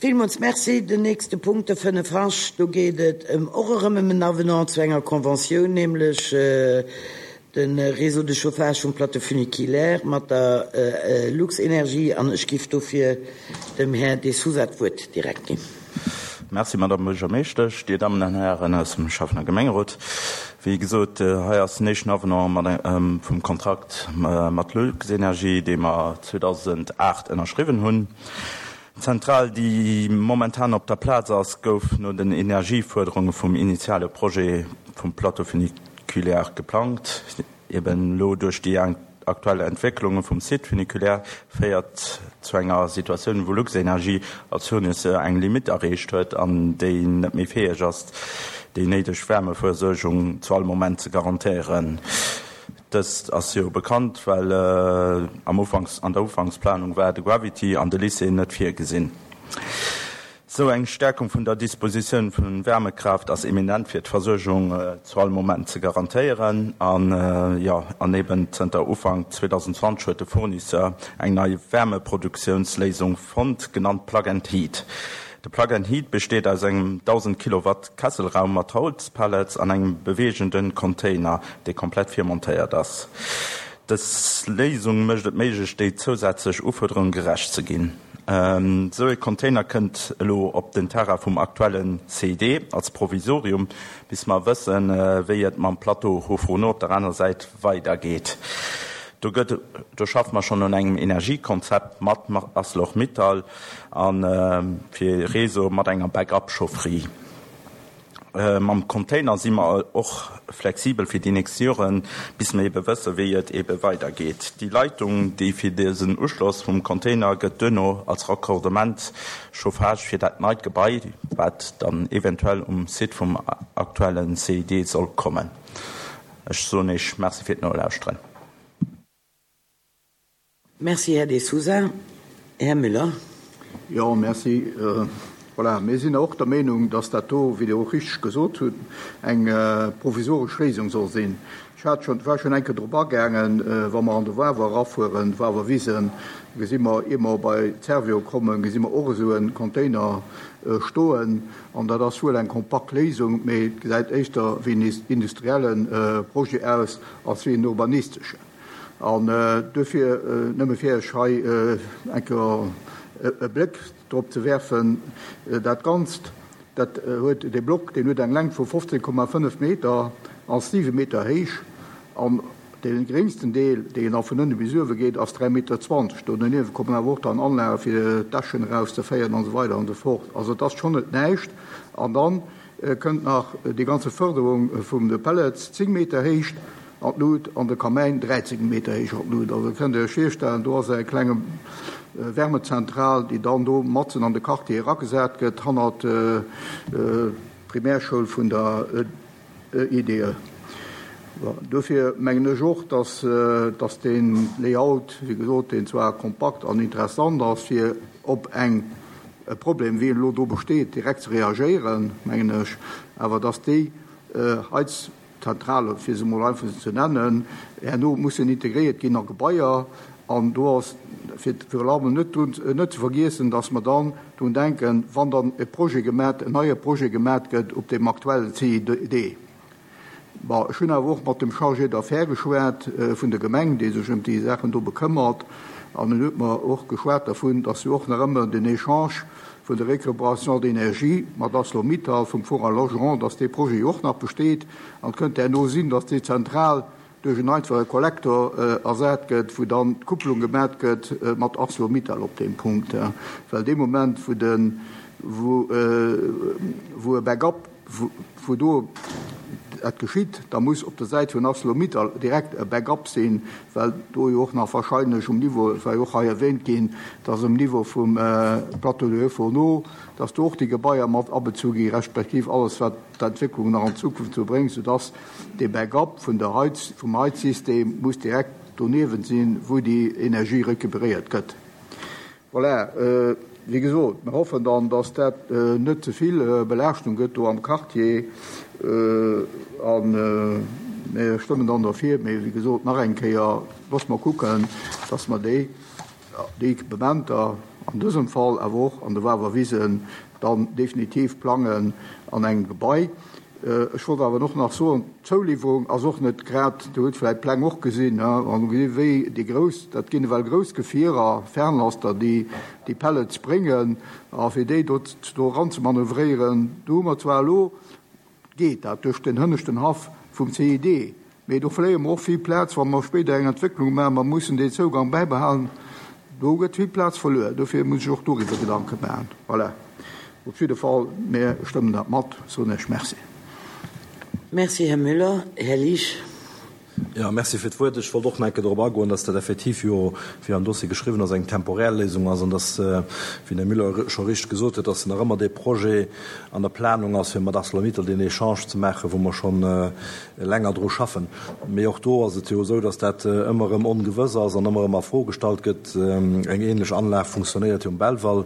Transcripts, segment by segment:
Villmools Merci. Den nächste Punkt, de 5 H, do geet et ëm och erëm ëm en Avenant zu enger Conventioun, nämlech de Réseau de chauffage vum Plateau funiculaire mat der Luxenergie. An ech giff dofir dem Här De Sousa d'Wuert direkt ginn. Merci, Madame Buergermeeschtesch, Dir Dammen an Hären aus dem Schäffen a Gemengerot. Wéi gesot, hei ass den éischten Avenant mat vum Kontrakt mat Luxenergie, dee mer 2008 ënnerschriwwen hunn. D'Zentral, déi momentan op der Plaz ass, gouf no den Energiefuerderunge vum initiale Projet vum Plateau funiculaire geplangt. Eben elo duerch déi aktuell Entwécklunge vum Site funiculaire féiert zu enger Situatioun, wou Luxenergie als Fournisseur eng Limitt erreecht huet an déi net méi fäeg ass, déi néideg Wärmeversuergung zu all Moment ze garantéieren. Dëst ass jo bekannt, well am Ufanks, an der Ufanksplanung war de Gravity an de Lycée net virgesinn. Sou eng Stärkung vun der Dispositioun vun Wärmekraaft ass eminent fir d'Versuergung zu all Moment ze garantéieren. An jo, an eben zënter Ufank 2020 huet de Fournisseur eng nei Wärmeproduktiounsléisung fonnt, genannt Plug and Heat. De Plug and Heat besteet aus engem 1.000 Kilowatt Kesselraum mat Holzpellets an engem beweegenden Container, dee komplett virmontéiert ass. Dës Léisung mécht et méiglech, déi zousätzlech Ufuerderung gerecht ze ginn. Esou ee Container kënnt elo op den Terrain vum aktuelle CID als Provisorium, bis mer wëssen, wéi et mam Plateau Haut-Fourneau op der aner Säit weidergeet. Do gëtt, do schaffe mer schonn un engem Energiekonzept mat Arcelor-Mittal a fir Réseau mat enger Back-up-Chaufferie. Mam Container si mer och flexibel fir déi nächst Joren, bis mer ebe wësse wéi et ebe weidergeet. Déi Leitung, déi fir dësen Uschloss vum Container gëtt duerno als Raccordement Chauffage fir dat neit Gebai, wat dann eventuell um Site vum aktuelle CID soll kommen. Ech soen Iech Merci fir d'Nolauschteren. Merci, Här De Sousa. Här Müller. Jo, merci. Voilà, mir sinn och der Meenung, dass dat do, wéi Dir och richteg gesot hutt, eng provisoresch Léisung soll sinn. Ech hat schonn, war schonn eng Kéier drop agaangen, wa mer an de Wawer erafueren, d'Wawerwisen, gesi mer, ier mer bei d'Servio kommen, gesi mer och esou e Container stoen. An dat ass wuel eng kompakt Léisung, mee et gesäit éischter wéi en industrielle Projet aus als wéi en urbanisteschen. An duerfir, nëmme fir Iech hei eng Kéier e Bléck drop ze werfen, dat Ganzt, dat huet, dee Block, deen huet eng Längt vu 15,5 Meter, ass 7 Meter héich an dee geréngsten Deel, deen da vun ënne bis uewe geet, ass 3,20 Meter. Do doniewent kommen awer och dann Anlage fir d'Äschen erauszeféieren an esou weider an esou fort. Also et ass schonn net näischt. An dann kënnt nach déi ganze Fërderung vum de Pellets, 10 Meter Héicht an d'Lut, an de Kamäin 13 Meter héich an d'Lut. Also kënnt Dir Iech virstellen, do ass eng klenge Wärmezentral, déi dann do matzen an de Quartier eragesat gëtt, hannert d'Primärschoul vun der EDE. Dofir mengen ech och, dass dass dee Layout, wéi gesot, deen zwar kompakt an interessant ass, fir op eng e Problem, wéi en elo do besteet, direkt ze reagéieren, mengen ech awer, dass déi Heizzentrale, fir se emol einfach esou ze nennen, herno mussen integréiert ginn a Gebaier. An do ass fir virun allem net drun, net ze vergiessen, dass mer dann drun denken, wann dann e Projet gemat, en neie Projet gemat gëtt op deem aktuellen CID. Bon, ech hunn awer och mat dem Chargé d'affaires geschwat vun der Gemeng, dee sech ëm déi Saachen do bekëmmert, an en huet mer och geschwat dervun, dass jo och nach ëmmer den Echange vun der Récupération d'énergie mat Arcelor-Mittal vum Four à Logeron, dass dee Projet jo och nach besteet. An et kënnt herno sinn, dass déi Zentral duerch en einfache Kollektor ersat gëtt, wou dann d'Kupplung gemat gëtt mat Arcelor-Mittal op deem Punkt. Well dee Moment, wou de, wou e Backup, wou do dat geschitt, da muss op der Säit vun Arcelor-Mittal direkt e Backup sinn, well do jo och nach wahrscheinlech um Niveau, et war jo och hei erwähnt ginn, dass um Niveau vum Plateau de Haut-Fourneau, dass do och déi Gebaier mat abezu gi respektiv alles, wat d'Entwécklung nach an Zukunft esou bréngt, soudass dee Backup vun der Heiz, vum Heizsystem muss direkt doniewent sinn, wou déi Energie recuperéiert gëtt. Voilà, wéi gesot, mir hoffen dann, dass dat net ze vill Belaaschtung gëtt do am Quartier a mir stëmmen dann derfir. Mee wéi gesot, nach eng Kéier, loosse mer kucken, dass mer déi, déi Equipementer. an dësem Fall awer och an de Wawerwisen dann definitiv plangen an engem Gebai. Ech wollt awer och nach soen, d'Zouliwwerung ass och net grad, Dir hutt vläicht d'Pläng och gesinn, an hu gesinn, wéi déi grouss, dat ginn ewell grouss Gefierer, Fernlaster, déi déi Pellets bréngen, a fir déi do do eranzemanövréieren, do hu mer zwar elo, geet dat duerch den hënneschten Haff vum CID, Mee do verléiere mer och vill Plaz, wa mer spéider eng Entwécklung maachen. Mer mussen deen Zougang bäibehalen. Do gëtt vill Plaz verluer. Dofir muss ech och doriwwer Gedanke maachen. Voilà. Op jidde Fall, mir stëmmen dat mat, soen ech Merci. Merci, Här Müller. Här Liesch. Jo, merci fir d'Wuert. Ech wollt och nach eng Kéier dorop agoen, dass dat effektiv jo, wéi am Dossier geschriwwen ass, eng temporär Léisung ass an dass, wéi den Här Müller scho richteg gesot huet, dass nach ëmmer dee Projet an der Planung ass, fir mat ArcelorMittal deen Echange ze maachen, wou mer schonn länger dru schaffen. Mee och do ass et jo esou, datt dat ëmmer erëm ongewëss ass an ëmmer erëm a Fro gestallt gëtt. Eng ähnlech Anlag funktionéiert jo um Belval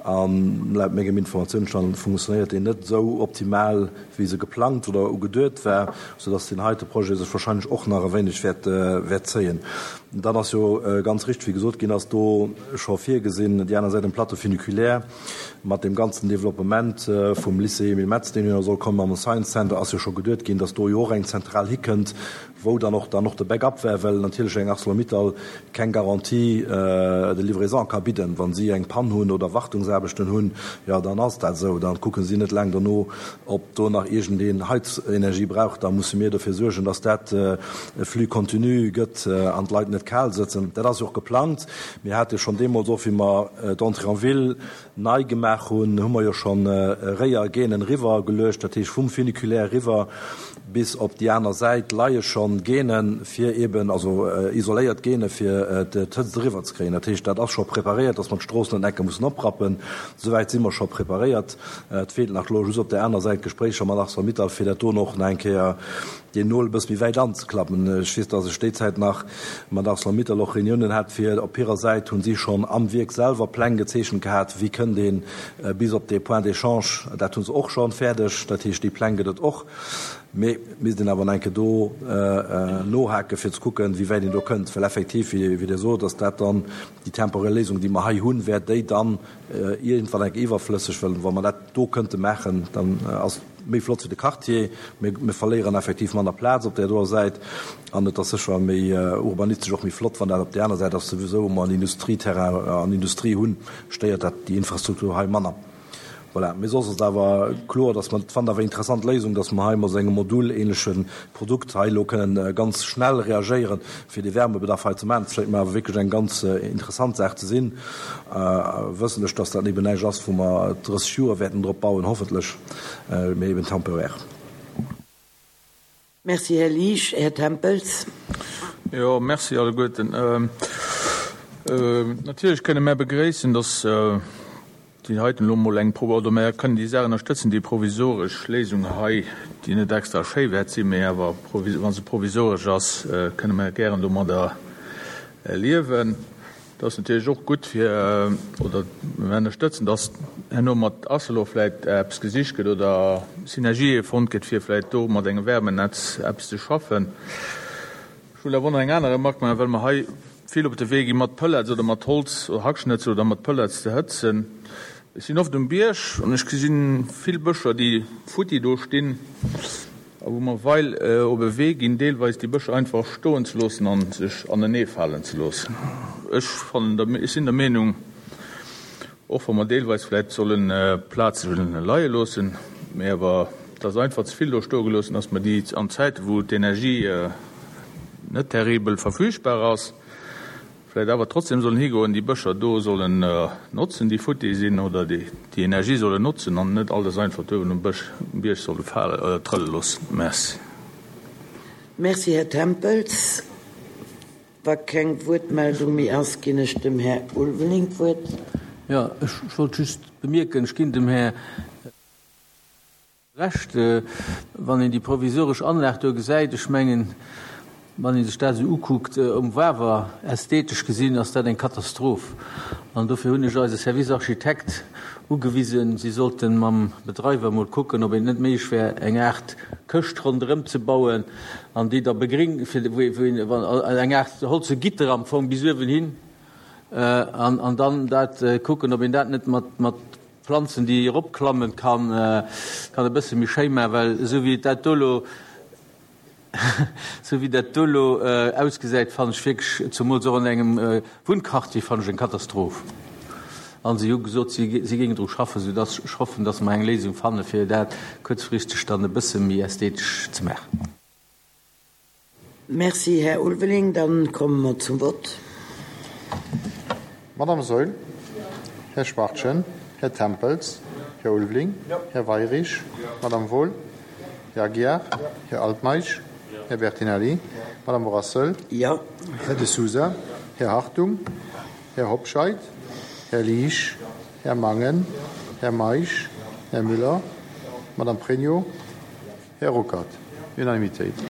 an laut mengem Informatiounsstand funktionéiert déi net esou optimal, wéi se geplangt oder ugeduet war, soudatt deen heite Projet sech wahrscheinlech och nach e wéineg wäert wäert zéien. Dann ass jo ganz richteg, wéi gesot ginn ass, do scho virgesinn, déi aner Säit um Plateau funiculaire, Mat deem ganzen Developpement vum Lycée Emile Metz, deen jo nach soll kommen, mam Science Center, ass jo scho geduet ginn, datt do jo och eng Zentral hikënnt, wou dann och dann och de Backup wär, well natierlech eng Arcelor-Mittal keng Garantie de livraison ka bidden. Wa si eng Pann hunn oder Wartungsaarbechten hunn, jo dann ass dat esou, da kucke si net laang dono, ob do nach iergendeen Heizenergie brauch. Da musse mir dofir suergen, datt dat e Flux continu gëtt an d'Leit net kal sëtzen. Dat ass jo och geplangt. Mir hate schonn deemools, och wéi mer d'Entrée en ville nei gemaach hunn, hu mer jo schonn Réier Gainen eriwwer geluecht, dat heescht vum Funiculaire eriwwer bis op déi aner Säit leie schonn Gainen, fir eeben, also isoléiert Gaine fir d'Hëtzt eriwwer ze kréien. Dat heescht, dat ass scho preparéiert, dass mer d'Strooss net enke mussen oprappen. Souwäit si mer scho preparéiert. Et feelt nach elo just op där aner Säit d'Gespréicher mat Arcelor-Mittal, fir dat do och nach eng Kéier deen Nol e bësse méi wäit anzeklappen. Ech weess, dass ech déi Zäit nach mat Arcelor-Mittal och Reuniounen hat, fir op hirer Säit hu si schonn am Wierk selwer Pläng gezeechent gehat, wéi kënnt ee bis op dee Point d'échange. Dat hu se och schonn fäerdeg. Dat heescht, déi Pläng gëtt et och. Mee et misst een awer nach eng Kéier do nohaken, fir ze kucken, wéi wäit een do kënnt. Well effektiv, wéi Dir sot, ass dat dann déi temporär Léisung, déi mer hei hunn, wär déi dann iergendwann eng Kéier iwwerflësseg, well wa mer dat do kënnte maachen, dann ass et méi flott fir de Quartier, mee mir verléieren effektiv manner Plaz op där doer Säit an et ass sécher méi urbanistesch och méi flott, wann dat op där aner Säit ass. Souwisou, wou mer en Industrieterrain an Industrie hunn, stéiert dat déi Infrastruktur hei manner. Voilà. Mee soss ass et awer kloer, dass mer, fannen awer interessant Léisung, dass mer hei mat esou engem modulähnleche Produkt hei elo kënnen ganz schnell reagéieren, fir dee Wärmebedarf hei ze maachen. Dat schéngt mer awer wierklech eng ganz interessant Saach ze sinn, wëssentlech, dass dat eben näischt ass, wou mer 30 Joer wäerten drop bauen, hoffentlech, mee eben temporaire. Merci, Här Liesch. Här Tempels. Jo, merci alleguerten. Natierlech kënne mär begréissen, dass déi heiten elo emol eng, oder mär kënnen déi Saach ënnerstëtzen, déi provisoresch Léisung hei, déi net extra schéi wäert sinn, mee awer wa se provisoresch ass, kënne mär gären domadder liewen. Et ass natierlech och gutt fir, oder mir ënnerstëtzen, dass herno mat Arcelor vläicht eppes gesicht gëtt oder Synergië fonnt gëtt, fir vläicht do mat engem Wärmenetz eppes ze schaffen. Ech wëll awer och nach eng aner Remarque maachen, well mer hei vill op de Wee gi mat Pellets oder mat Holz oder Hackschnëtzel oder mat Pellets ze hëtzen. Ech sinn oft um Bierg an ech gesinn vill Bëscher, déi futti do stinn. A wou mer weil op e Wee ginn, deelweis déi Bëscher einfach stoen ze loossen a sech aneneefalen ze loossen. Ech fannen, ech sinn der Meenung, och wa mer deelweis vläicht solle Plaze leie loossen, mee awer dass einfach ze vill do stoe geloossen, dass mer déi an Zäite wou d'Energie net terribel verfügbar ass, Vläit awer trotzdem sollen higoen, déi Bëscher do sollen notzen, déi futti sinn, oder déi Energie sollen notzen an net alles einfach do uewen um Bësch, um Bierg solle fale, trëlle loossen. Merci. Merci, Här Tempels. Wa keng Wuertmeldung méi ass, ginn ech dem Här Ulveling d'Wuert. Jo, ech wollt just bemierken, ech ginn dem Här. Recht, wann een déi provisoresch Anlag do gesäit, ech mengen, wann ee sech dat esou ukuckt um Wawer, ästhetesch gesinn ass dat eng Katastroph. An dofir hunn ech eise Service Architekt ugewisen, si sollte mam Bedreiwer emol kucken, ob et net méiglech wär, eng Aart Këscht ronderëm ze bauen an déi da begring, fir wou een, eng Aart holze Gitter am Fong bis uewen hin. An dann dat kucken, ob een dat net mat, mat Planzen, déi eropklammen, kann, kann e bësse méi schéi maachen, well esou wéi et dat do elo, esou wéi dat do elo ausgesäit, fannen ech wierklech, zumools och an engem Wunnquartier, fannen ech eng Katastroph. An si hu gesot, si, si géingen dru schaffen, soudass ech hoffen, dass mer eng Léisung fanne fir dat kuerzfristeg dann e bësse méi ästhetesch ze maachen. Merci, Här Ulveling. Dann komme mer zum Vott. Madame Saeul, Här Schwachtgen, Här Tempels, Här Ulveling, Här Weirich, Madame Wohl, Här Aguiar, Här Altmeisch, Här Bertinelli, Madame Brassel, Här De Sousa, Här Hartung, Här Hobscheit, Här Liesch, Här Mangen, Här Meisch, Här Müller, Madame Pregno, Här Ruckert. Unanimitéit.